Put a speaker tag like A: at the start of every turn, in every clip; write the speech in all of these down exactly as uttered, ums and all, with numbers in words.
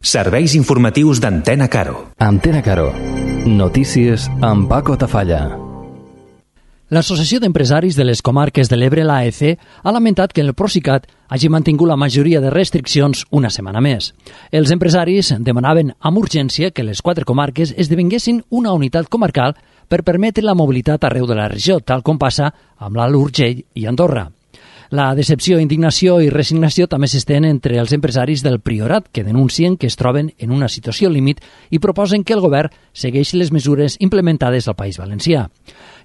A: Serveis informatius d'Antena Caro.
B: Antena Caro. Notícies amb Paco Tafalla.
C: L'Associació d'Empresaris de les Comarques de l'Ebre, l'A E C, ha lamentat que el Procicat hagi mantingut la majoria de restriccions una setmana més. Els empresaris demanaven amb urgència que les quatre comarques esdevinguessin una unitat comarcal per permetre la mobilitat arreu de la regió, tal com passa amb l'Alt Urgell i Andorra. La decepció, indignació i resignació també s'estén entre els empresaris del Priorat, que denuncien que es troben en una situació límit i proposen que el govern segueixi les mesures implementades al País Valencià.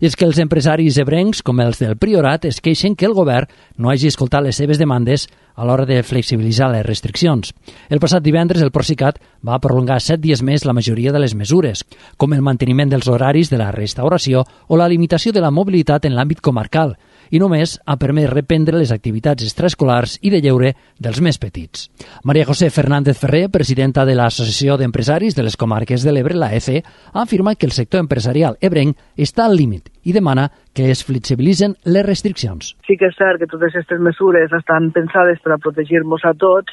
C: I és que els empresaris ebrencs, com els del Priorat, es queixen que el govern no hagi escoltat les seves demandes a l'hora de flexibilitzar les restriccions. El passat divendres el Procicat va prolongar set dies més la majoria de les mesures, com el manteniment dels horaris de la restauració o la limitació de la mobilitat en l'àmbit comarcal, i només ha permès reprendre les activitats extraescolars i de lleure dels més petits. Maria José Fernández Ferrer, presidenta de l'Associació d'Empresaris de les Comarques de l'Ebre, l'A E C, ha afirmat que el sector empresarial ebrenc està al límit i demana que es flexibilitzen les restriccions.
D: Sí que és cert que totes aquestes mesures estan pensades per a protegir-nos a tots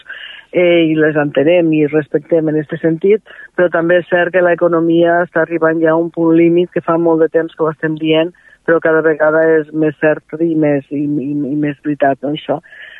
D: eh, i les entenem i respectem en aquest sentit, però també és cert que l'economia està arribant ja a un punt límit que fa molt de temps que ho estem dient, però cada vegada és més cert i més, i, i, i més veritat, no, això.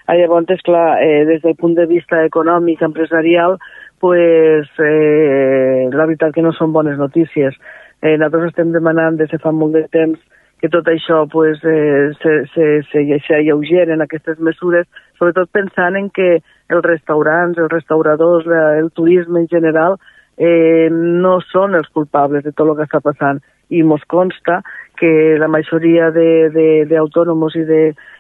D: Llavors, és clar, eh, des del punt de vista econòmic, empresarial, pues, eh, la veritat que no són bones notícies. Eh, nosaltres estem demanant des de fa molt de temps que tot això pues, eh, se, se, se, se alleugeren aquestes mesures, sobretot pensant en que els restaurants, els restauradors, el turisme en general, eh, no són els culpables de tot el que està passant. I mos consta que la majoria d'autònoms i, de,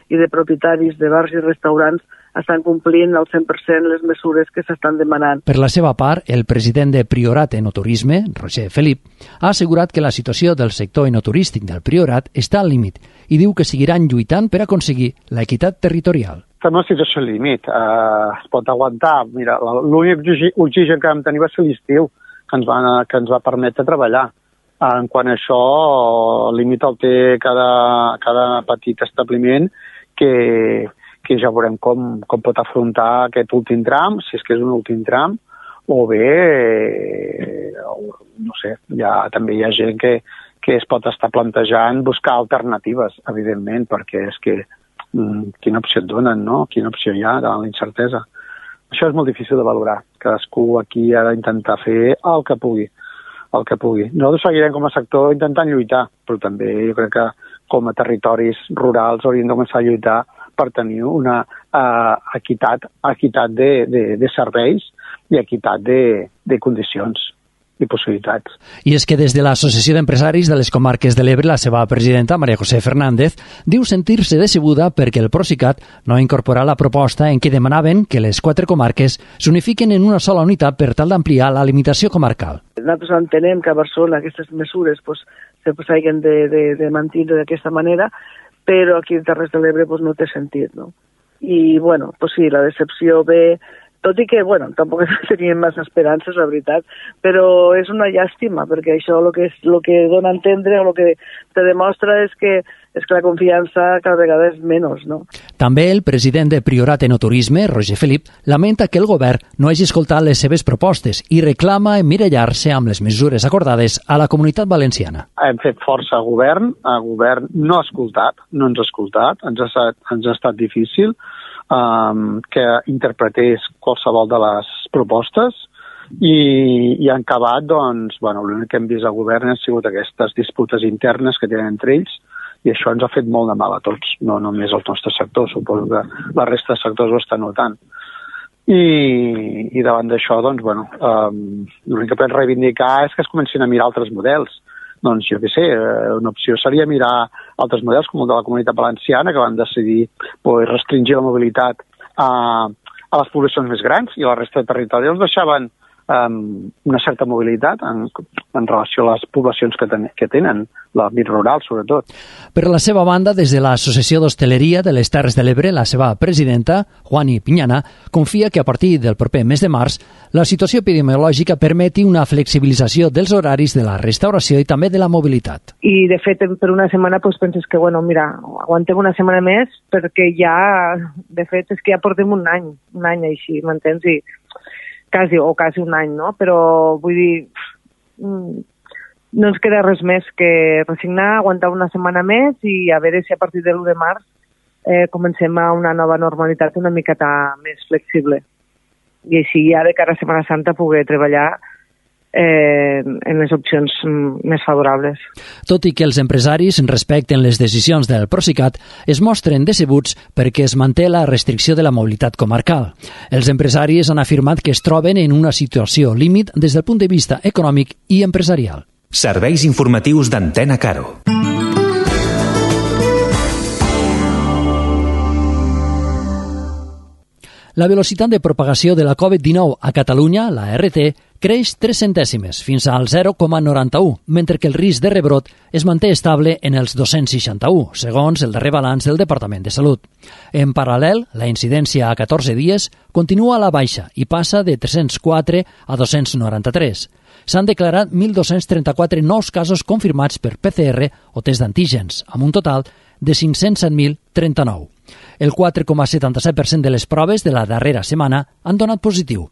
D: i de propietaris de bars i restaurants estan complint al cent per cent les mesures que s'estan demanant.
C: Per la seva part, el president de Priorat Enoturisme, Roger Felip, ha assegurat que la situació del sector enoturístic del Priorat està al límit i diu que seguiran lluitant per aconseguir l'equitat territorial.
E: Estem en una situació límit, uh, es pot aguantar. Mira, l'únic oxigen que vam tenir va ser l'estiu, que, ens va, que ens va permetre treballar. En quant a això, el límit el té cada, cada petit establiment que, que ja veurem com, com pot afrontar aquest últim tram, si és que és un últim tram, o bé, eh, no sé, ja, també hi ha gent que, que es pot estar plantejant buscar alternatives, evidentment, perquè és que mm, quina opció et donen, no? Quina opció hi ha davant la incertesa. Això és molt difícil de valorar. Cadascú aquí ha d'intentar fer el que pugui. el que pugui. Nosaltres seguirem com a sector intentant lluitar, però també jo crec que com a territoris rurals hauríem de començar a lluitar per tenir una uh, equitat, equitat de, de, de serveis i equitat de, de condicions i possibilitats.
C: I és que des de l'Associació d'Empresaris de les Comarques de l'Ebre, la seva presidenta, Maria José Fernández, diu sentir-se decebuda perquè el Procicat no ha incorporat la proposta en què demanaven que les quatre comarques s'unifiquen en una sola unitat per tal d'ampliar la limitació comarcal.
D: Nosaltres entenem que a Barcelona aquestes mesures pues, se s'hagin de, de, de mantenir d'aquesta manera, però aquí a Terres de l'Ebre pues, no té sentit, no? I, bueno, pues sí, la decepció ve... Tot i que, bueno, tampoc teníem massa esperances, la veritat, però és una llàstima, perquè això el que, és, el que dona a entendre o el que te demostra és que, és que la confiança cada vegada és menys, no?
C: També el president de Priorat Enoturisme, Roger Felip, lamenta que el govern no hagi escoltat les seves propostes i reclama emmirallar-se amb les mesures acordades a la Comunitat Valenciana.
E: Hem fet força al govern, el govern no ha escoltat, no ens ha escoltat, ens ha estat, ens ha estat difícil, Um, que interpretés qualsevol de les propostes i, i han acabat, doncs, bueno, l'únic que hem vist al govern han sigut aquestes disputes internes que tenen entre ells i això ens ha fet molt de mal a tots, no només al nostre sector, suposo que la resta de sectors ho estan notant. I, i davant d'això, doncs, bueno, um, l'únic que podem reivindicar és que es comencin a mirar altres models. Doncs jo què sé, una opció seria mirar altres models com el de la Comunitat Valenciana que van decidir pues, restringir la mobilitat a, a les poblacions més grans i a la resta de territori els deixaven um, una certa mobilitat en, en relació a les poblacions que, ten, que tenen, l'àmbit rural sobretot.
C: Per la seva banda, des de l'Associació d'Hostaleria de les Terres de l'Ebre, la seva presidenta, Juani Piñana, confia que a partir del proper mes de març la situació epidemiològica permeti una flexibilització dels horaris de la restauració i també de la mobilitat.
F: I, de fet, per una setmana pues, penses que, bueno, mira, aguantem una setmana més perquè ja, de fet, és que ja portem un any, un any així, m'entens? I quasi, o quasi un any, no? Però vull dir, no ens queda res més que resignar, aguantar una setmana més i a veure si a partir de l'u de març eh, comencem a una nova normalitat una miqueta més flexible. I així ja de cara a Setmana Santa poder treballar eh, en les opcions més favorables.
C: Tot i que els empresaris respecten les decisions del Procicat, es mostren decebuts perquè es manté la restricció de la mobilitat comarcal. Els empresaris han afirmat que es troben en una situació límit des del punt de vista econòmic i empresarial.
A: Serveis informatius d'Antena Caro.
C: La velocitat de propagació de la covid dinou a Catalunya, la R T, creix tres centèsimes, fins al zero coma noranta-u, mentre que el risc de rebrot es manté estable en els dos-cents seixanta-u, segons el darrer balanç del Departament de Salut. En paral·lel, la incidència a catorze dies continua a la baixa i passa de tres-cents quatre a dos-cents noranta-tres. S'han declarat mil dos-cents trenta-quatre nous casos confirmats per P C R o test d'antígens, amb un total de cinc-cents set mil trenta-nou. El quatre coma setanta-set per cent de les proves de la darrera setmana han donat positiu.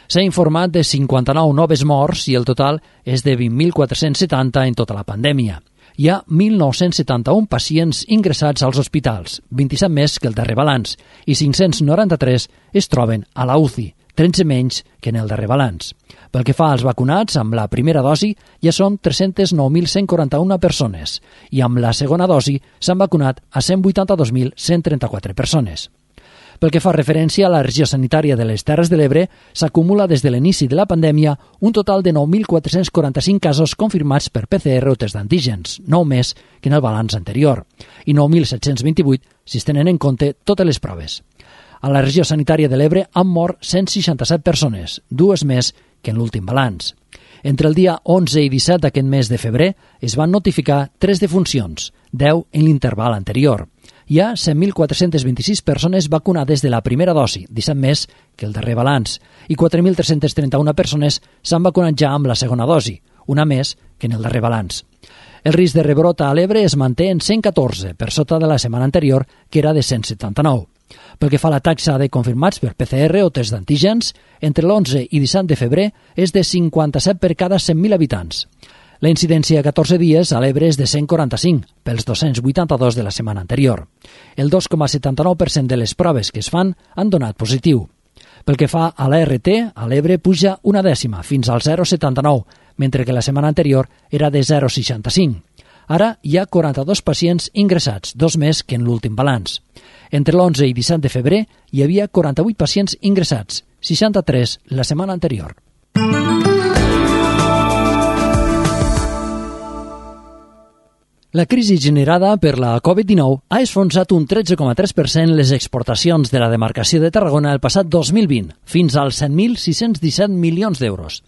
C: S'ha informat de cinquanta-nou noves morts i el total és de vint mil quatre-cents setanta en tota la pandèmia. Hi ha mil nou-cents setanta-un pacients ingressats als hospitals, vint-i-set més que el darrer balanç, i cinc-cents noranta-tres es troben a la U C I, tretze menys que en el darrer balanç. Pel que fa als vacunats, amb la primera dosi ja són tres-cents nou mil cent quaranta-u persones i amb la segona dosi s'han vacunat a cent vuitanta-dos mil cent trenta-quatre persones. Pel que fa referència a la regió sanitària de les Terres de l'Ebre, s'acumula des de l'inici de la pandèmia un total de nou mil quatre-cents quaranta-cinc casos confirmats per P C R o test d'antígens, nou més que en el balanç anterior, i nou mil set-cents vint-i-vuit si es tenen en compte totes les proves. A la regió sanitària de l'Ebre han mort cent seixanta-set persones, dues més que en l'últim balanç. Entre el dia onze i disset d'aquest mes de febrer es van notificar tres defuncions, deu en l'interval anterior. Hi ha set mil quatre-cents vint-i-sis persones vacunades de la primera dosi, disset més que el darrer balanç, i quatre mil tres-cents trenta-u persones s'han vacunat ja amb la segona dosi, una més que en el darrer balanç. El risc de rebrot a l'Ebre es manté en cent catorze, per sota de la setmana anterior, que era de cent setanta-nou. Pel que fa a la taxa de confirmats per P C R o test d'antígens, entre l'onze i disset de febrer és de cinquanta-set per cada cent mil habitants. La incidència a catorze dies a l'Ebre és de cent quaranta-cinc, pels dos-cents vuitanta-dos de la setmana anterior. El dos coma setanta-nou per cent de les proves que es fan han donat positiu. Pel que fa a la R T, a l'Ebre puja una dècima, fins al zero coma setanta-nou, mentre que la setmana anterior era de zero coma seixanta-cinc. Ara hi ha quaranta-dos pacients ingressats, dos més que en l'últim balanç. Entre l'onze i disset de febrer hi havia quaranta-vuit pacients ingressats, seixanta-tres la setmana anterior. La crisi generada per la covid dinou ha esfonsat un tretze coma tres per cent les exportacions de la demarcació de Tarragona el passat dos mil vint, fins als set mil sis-cents disset milions d'euros.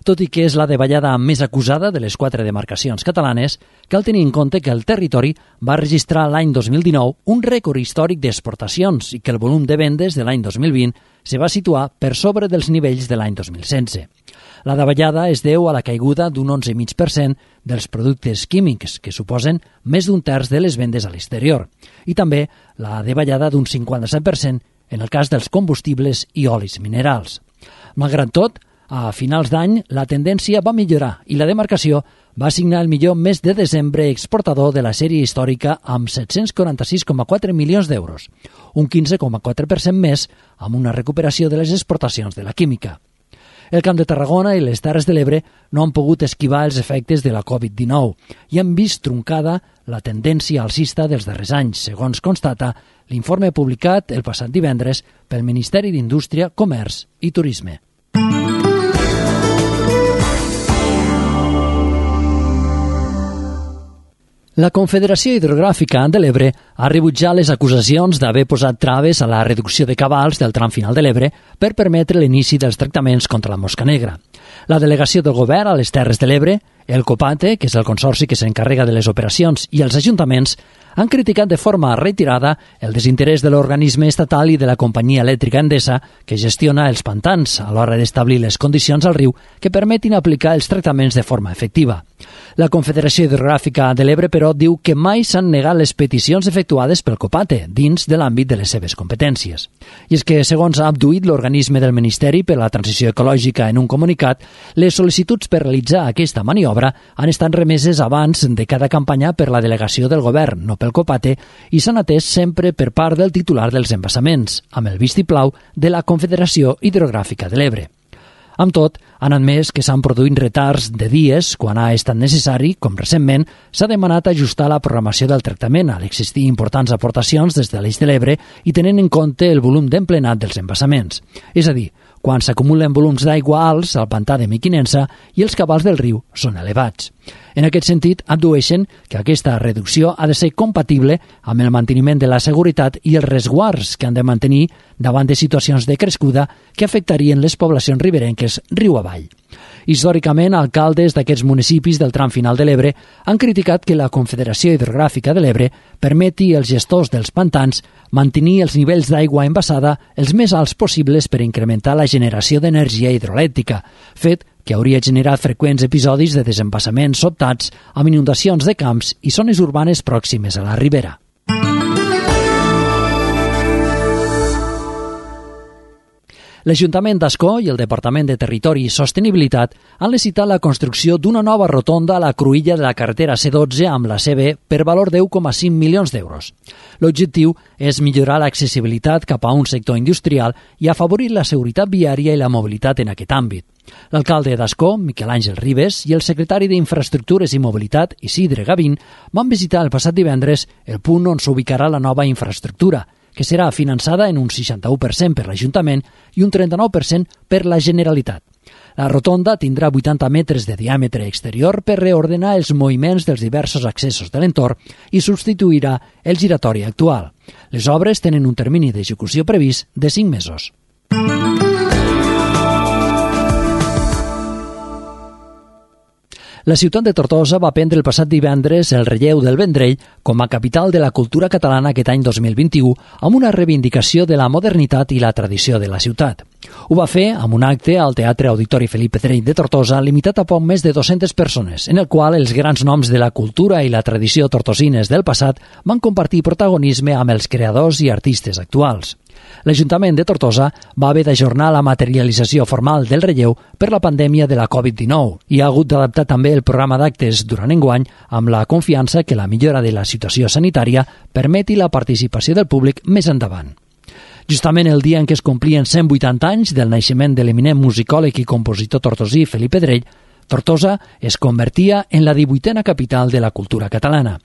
C: Tot i que és la davallada més acusada de les quatre demarcacions catalanes, cal tenir en compte que el territori va registrar l'any dos mil dinou un rècord històric d'exportacions i que el volum de vendes de l'any dos mil vint se va situar per sobre dels nivells de l'any dos mil setze. La davallada es deu a la caiguda d'un onze coma cinc per cent dels productes químics, que suposen més d'un terç de les vendes a l'exterior, i també la davallada d'un cinquanta-set per cent en el cas dels combustibles i olis minerals. Malgrat tot, a finals d'any la tendència va millorar i la demarcació va signar el millor mes de desembre exportador de la sèrie històrica amb set-cents quaranta-sis coma quatre milions d'euros, un quinze coma quatre per cent més amb una recuperació de les exportacions de la química. El Camp de Tarragona i les Terres de l'Ebre no han pogut esquivar els efectes de la covid dinou i han vist truncada la tendència alcista dels darrers anys, segons constata l'informe publicat el passat divendres pel Ministeri d'Indústria, Comerç i Turisme. La Confederació Hidrogràfica de l'Ebre ha rebutjat les acusacions d'haver posat traves a la reducció de cabals del tram final de l'Ebre per permetre l'inici dels tractaments contra la mosca negra. La delegació del govern a les Terres de l'Ebre, el COPATE, que és el consorci que s'encarrega de les operacions, i els ajuntaments han criticat de forma reiterada el desinterès de l'organisme estatal i de la companyia elèctrica Endesa, que gestiona els pantans a l'hora d'establir les condicions al riu que permetin aplicar els tractaments de forma efectiva. La Confederació Hidrogràfica de l'Ebre, però, diu que mai s'han negat les peticions efectuades pel COPATE dins de l'àmbit de les seves competències. I és que, segons ha abduït l'organisme del Ministeri per la Transició Ecològica en un comunicat, les sol·licituds per realitzar aquesta maniobra han estat remeses abans de cada campanya per la delegació del govern, no pel COPATE, i s'han atès sempre per part del titular dels embassaments, amb el vistiplau de la Confederació Hidrogràfica de l'Ebre. Amb tot, han admès que s'han produït retards de dies quan ha estat necessari, com recentment s'ha demanat ajustar la programació del tractament a l'existir importants aportacions des de l'Eix de l'Ebre i tenint en compte el volum d'emplenat dels embassaments. És a dir, quan s'acumulen volums d'aigua alts al pantà de Mequinensa i els cabals del riu són elevats. En aquest sentit, addueixen que aquesta reducció ha de ser compatible amb el manteniment de la seguretat i els resguards que han de mantenir davant de situacions de crescuda que afectarien les poblacions riberenques riu avall. Històricament, alcaldes d'aquests municipis del tram final de l'Ebre han criticat que la Confederació Hidrogràfica de l'Ebre permeti als gestors dels pantans mantenir els nivells d'aigua embassada els més alts possibles per incrementar la generació d'energia hidroelèctrica, fet que hauria generat freqüents episodis de desembassaments sobtats amb inundacions de camps i zones urbanes pròximes a la ribera. L'Ajuntament d'Ascó i el Departament de Territori i Sostenibilitat han licitat la construcció d'una nova rotonda a la cruïlla de la carretera C dotze amb la C B per valor de u coma cinc milions d'euros. L'objectiu és millorar l'accessibilitat cap a un sector industrial i afavorir la seguretat viària i la mobilitat en aquest àmbit. L'alcalde d'Ascó, Miquel Àngel Ribes, i el secretari d'Infraestructures i Mobilitat, Isidre Gavín, van visitar el passat divendres el punt on s'ubicarà la nova infraestructura, que serà finançada en un seixanta-u per cent per l'Ajuntament i un trenta-nou per cent per la Generalitat. La rotonda tindrà vuitanta metres de diàmetre exterior per reordenar els moviments dels diversos accessos de l'entorn i substituirà el giratori actual. Les obres tenen un termini d'execució previst de cinc mesos. La ciutat de Tortosa va prendre el passat divendres el relleu del Vendrell com a capital de la cultura catalana aquest any dos mil vint-i-u amb una reivindicació de la modernitat i la tradició de la ciutat. Ho va fer amb un acte al Teatre Auditori Felip Pedrell de Tortosa limitat a poc més de dues-centes persones, en el qual els grans noms de la cultura i la tradició tortosines del passat van compartir protagonisme amb els creadors i artistes actuals. L'Ajuntament de Tortosa va haver d'ajornar la materialització formal del relleu per la pandèmia de la covid dinou i ha hagut d'adaptar també el programa d'actes durant enguany amb la confiança que la millora de la situació sanitària permeti la participació del públic més endavant. Justament el dia en què es complien cent vuitanta anys del naixement de l'eminent musicòleg i compositor tortosí Felip Pedrell, Tortosa es convertia en la divuitena capital de la cultura catalana.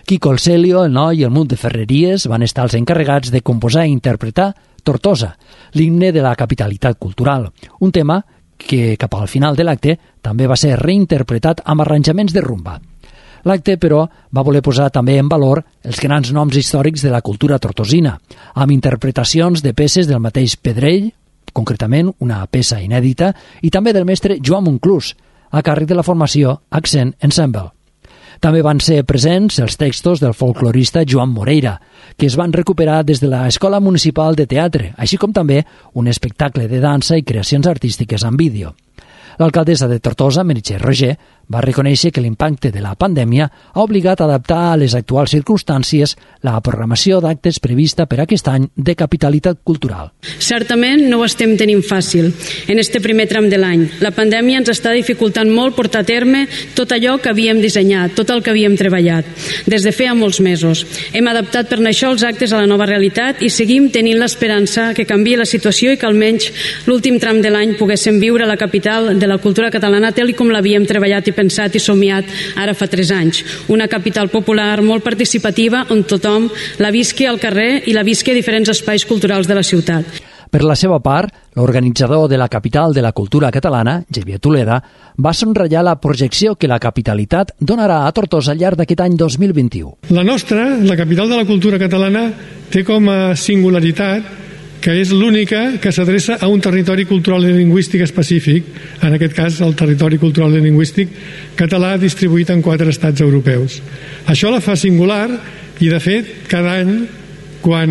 C: Quico el Celio, el Noi i el Munt de Ferreries van estar els encarregats de composar i interpretar Tortosa, l'himne de la capitalitat cultural, un tema que cap al final de l'acte també va ser reinterpretat amb arranjaments de rumba. L'acte, però, va voler posar també en valor els grans noms històrics de la cultura tortosina, amb interpretacions de peces del mateix Pedrell, concretament una peça inèdita, i també del mestre Joan Monclús, a càrrec de la formació Accent Ensemble. També van ser presents els textos del folclorista Joan Moreira, que es van recuperar des de l'Escola Municipal de Teatre, així com també un espectacle de dansa i creacions artístiques en vídeo. L'alcaldessa de Tortosa, Meritxell Roger, va reconèixer que l'impacte de la pandèmia ha obligat a adaptar a les actuals circumstàncies la programació d'actes prevista per aquest any de capitalitat cultural.
G: Certament no ho estem tenint fàcil en este primer tram de l'any. La pandèmia ens està dificultant molt portar a terme tot allò que havíem dissenyat, tot el que havíem treballat, des de feia molts mesos. Hem adaptat per això els actes a la nova realitat i seguim tenint l'esperança que canviï la situació i que almenys l'últim tram de l'any poguéssim viure a la capital de la cultura catalana tal com l'havíem treballat i pensat i somiat ara fa tres anys. Una capital popular molt participativa on tothom la visqui al carrer i la visqui a diferents espais culturals de la ciutat.
C: Per la seva part, l'organitzador de la capital de la cultura catalana, Xavier Tuleda, va sonratllar la projecció que la capitalitat donarà a Tortosa al llarg d'aquest any dos mil vint-i-u.
H: La nostra, la capital de la cultura catalana, té com a singularitat que és l'única que s'adreça a un territori cultural i lingüístic específic, en aquest cas el territori cultural i lingüístic català distribuït en quatre estats europeus. Això la fa singular I de fet, cada any, quan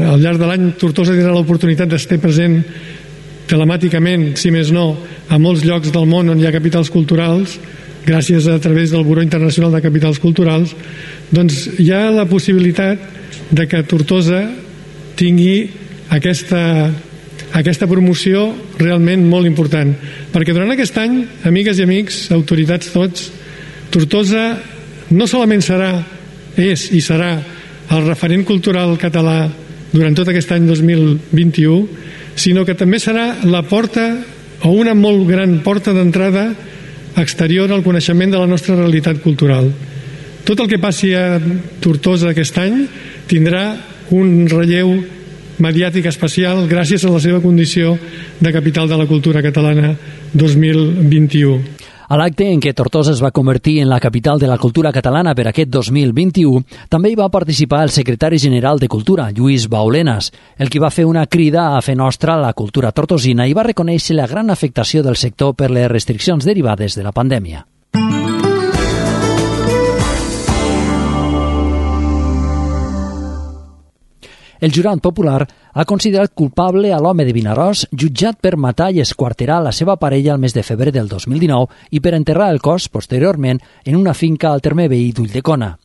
H: al llarg de l'any Tortosa tindrà l'oportunitat d'estar present telemàticament, si més no, a molts llocs del món on hi ha capitals culturals, gràcies a través del Buró Internacional de Capitals Culturals, doncs hi ha la possibilitat de que Tortosa tingui aquesta, aquesta promoció realment molt important. Perquè durant aquest any, amigues i amics, autoritats tots, Tortosa no solament serà, és i serà el referent cultural català durant tot aquest any dos mil vint-i-u, sinó que també serà la porta o una molt gran porta d'entrada exterior al coneixement de la nostra realitat cultural. Tot el que passi a Tortosa aquest any tindrà un relleu mediàtic especial gràcies a la seva condició de capital de la cultura catalana dos mil vint-i-u.
C: A l'acte en què Tortosa es va convertir en la capital de la cultura catalana per aquest dos mil vint-i-u, també hi va participar el secretari general de Cultura, Lluís Baulenas, el qui va fer una crida a fer nostra la cultura tortosina i va reconèixer la gran afectació del sector per les restriccions derivades de la pandèmia. El jurat popular ha considerat culpable a l'home de Vinaròs jutjat per matar i esquarterar la seva parella el mes de febrer del dos mil dinou i per enterrar el cos posteriorment en una finca al terme veí d'Ulldecona.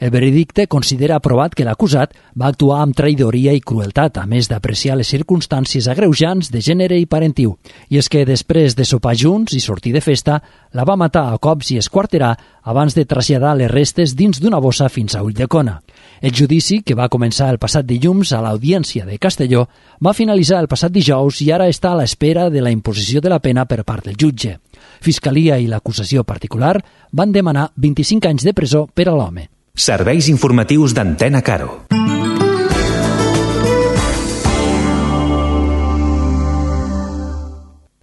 C: El veredicte considera aprovat que l'acusat va actuar amb traïdoria i crueltat, a més d'apreciar les circumstàncies agreujants de gènere i parentiu. I és que després de sopar junts i sortir de festa, la va matar a cops i esquarterar abans de traslladar les restes dins d'una bossa fins a Ulldecona. El judici, que va començar el passat dilluns a l'Audiència de Castelló, va finalitzar el passat dijous i ara està a l'espera de la imposició de la pena per part del jutge. Fiscalia i l'acusació particular van demanar vint-i-cinc anys de presó per a l'home.
A: Serveis informatius d'Antena Caro.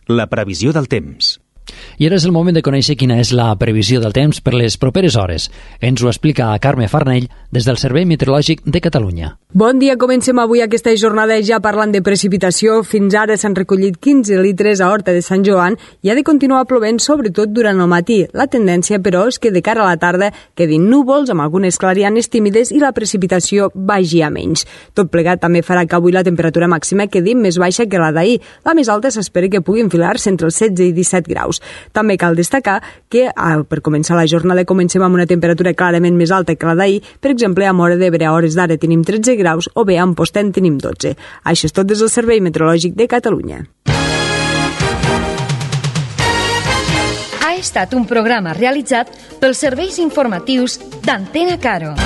A: La previsió del temps.
C: I ara és el moment de conèixer quina és la previsió del temps per les properes hores. Ens ho explica Carme Farnell des del Servei Meteorològic de Catalunya.
I: Bon dia, comencem avui aquesta jornada ja parlant de precipitació. Fins ara s'han recollit quinze litres a Horta de Sant Joan i ha de continuar plovent sobretot durant el matí. La tendència, però, és que de cara a la tarda quedin núvols amb algunes clarianes tímides i la precipitació vagi a menys. Tot plegat també farà que avui la temperatura màxima quedi més baixa que la d'ahir. La més alta s'espera que pugui enfilar-se entre els setze i disset graus. També cal destacar que per començar la jornada comencem amb una temperatura clarament més alta que la d'ahir. Per exemple, a Móra d'Ebre a hores d'ara tenim tretze graus o bé a Amposta tenim dotze. Això és tot des del Servei Meteorològic de Catalunya.
J: Ha estat un programa realitzat pels serveis informatius d'Antena Caro.